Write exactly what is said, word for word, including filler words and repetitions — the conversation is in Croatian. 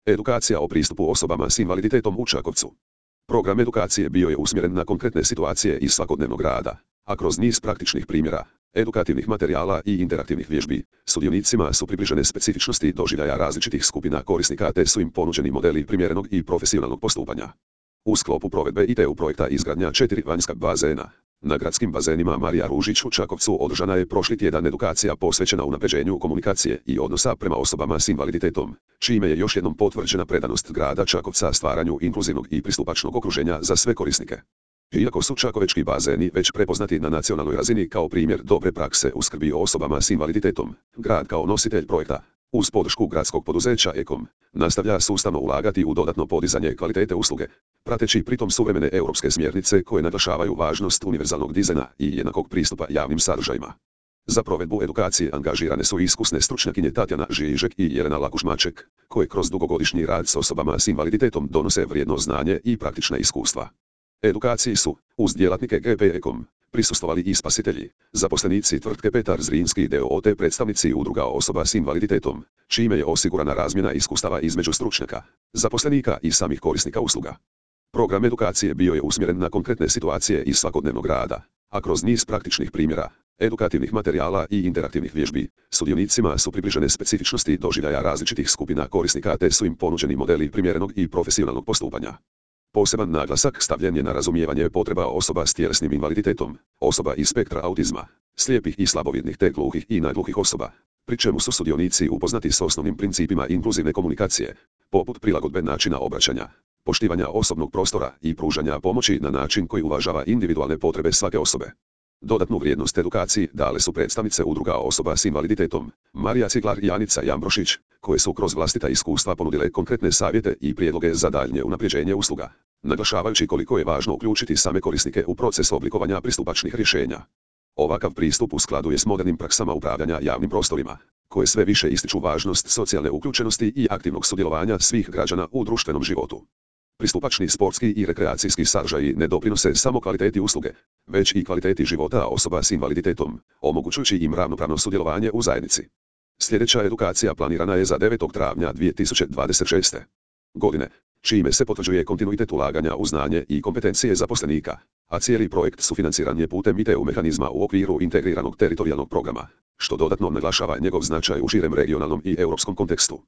Edukacija o pristupu osobama s invaliditetom u Čakovcu. Program edukacije bio je usmjeren na konkretne situacije iz svakodnevnog rada, a kroz niz praktičnih primjera, edukativnih materijala i interaktivnih vježbi, sudionicima su približene specifičnosti doživljaja različitih skupina korisnika te su im ponuđeni modeli primjerenog i profesionalnog postupanja. U sklopu provedbe I T U projekta izgradnja četiri vanjska bazena, na gradskim bazenima Marija Ružić u Čakovcu održana je prošli tjedan edukacija posvećena unapređenju komunikacije i odnosa prema osobama s invaliditetom, čime je još jednom potvrđena predanost grada Čakovca stvaranju inkluzivnog i pristupačnog okruženja za sve korisnike. Iako su čakovečki bazeni već prepoznati na nacionalnoj razini kao primjer dobre prakse u skrbi o osobama s invaliditetom, grad kao nositelj projekta, uz podršku gradskog poduzeća Ekom, nastavlja sustavno ulagati u dodatno podizanje kvalitete usluge, prateći pritom suvremene europske smjernice koje naglašavaju važnost univerzalnog dizajna i jednakog pristupa javnim sadržajima. Za provedbu edukacije angažirane su iskusne stručnjakinje Tatjana Žižek i Jelena Lakuš-Maček, koje kroz dugogodišnji rad s osobama s invaliditetom donose vrijedno znanje i praktična iskustva. Edukaciji su, uz djelatnike G P Ekom, prisustvovali i spasitelji, zaposlenici tvrtke Petar Zrinski d o o te predstavnici udruga osoba s invaliditetom, čime je osigurana razmjena iskustava između stručnjaka, zaposlenika i samih korisnika usluga. Program edukacije bio je usmjeren na konkretne situacije iz svakodnevnog rada, a kroz niz praktičnih primjera, edukativnih materijala i interaktivnih vježbi, sudionicima su približene specifičnosti doživljaja različitih skupina korisnika te su im ponuđeni modeli primjerenog i profesionalnog postupanja. Poseban naglasak stavljen je na razumijevanje potreba osoba s tjelesnim invaliditetom, osoba iz spektra autizma, slijepih i slabovidnih te gluhih i nagluhih osoba, pri čemu su sudionici upoznati s osnovnim principima inkluzivne komunikacije, poput prilagodbe načina obraćanja, poštivanja osobnog prostora i pružanja pomoći na način koji uvažava individualne potrebe svake osobe. Dodatnu vrijednost edukaciji dale su predstavnice udruga osoba s invaliditetom, Marija Ciglar i Anica Jambrošić, koje su kroz vlastita iskustva ponudile konkretne savjete i prijedloge za daljnje unapređenje usluga, naglašavajući koliko je važno uključiti same korisnike u proces oblikovanja pristupačnih rješenja. Ovakav pristup u skladu je s modernim praksama upravljanja javnim prostorima, koje sve više ističu važnost socijalne uključenosti i aktivnog sudjelovanja svih građana u društvenom životu. Pristupačni sportski i rekreacijski sadržaji ne doprinose samo kvaliteti usluge, već i kvaliteti života osoba s invaliditetom, omogućujući im ravnopravno sudjelovanje u zajednici. Sljedeća edukacija planirana je za devetog travnja dvije tisuće dvadeset šeste. godine, čime se potvrđuje kontinuitet ulaganja u znanje i kompetencije zaposlenika, a cijeli projekt sufinanciran je putem I T U mehanizma u okviru integriranog teritorijalnog programa, što dodatno naglašava njegov značaj u širem regionalnom i europskom kontekstu.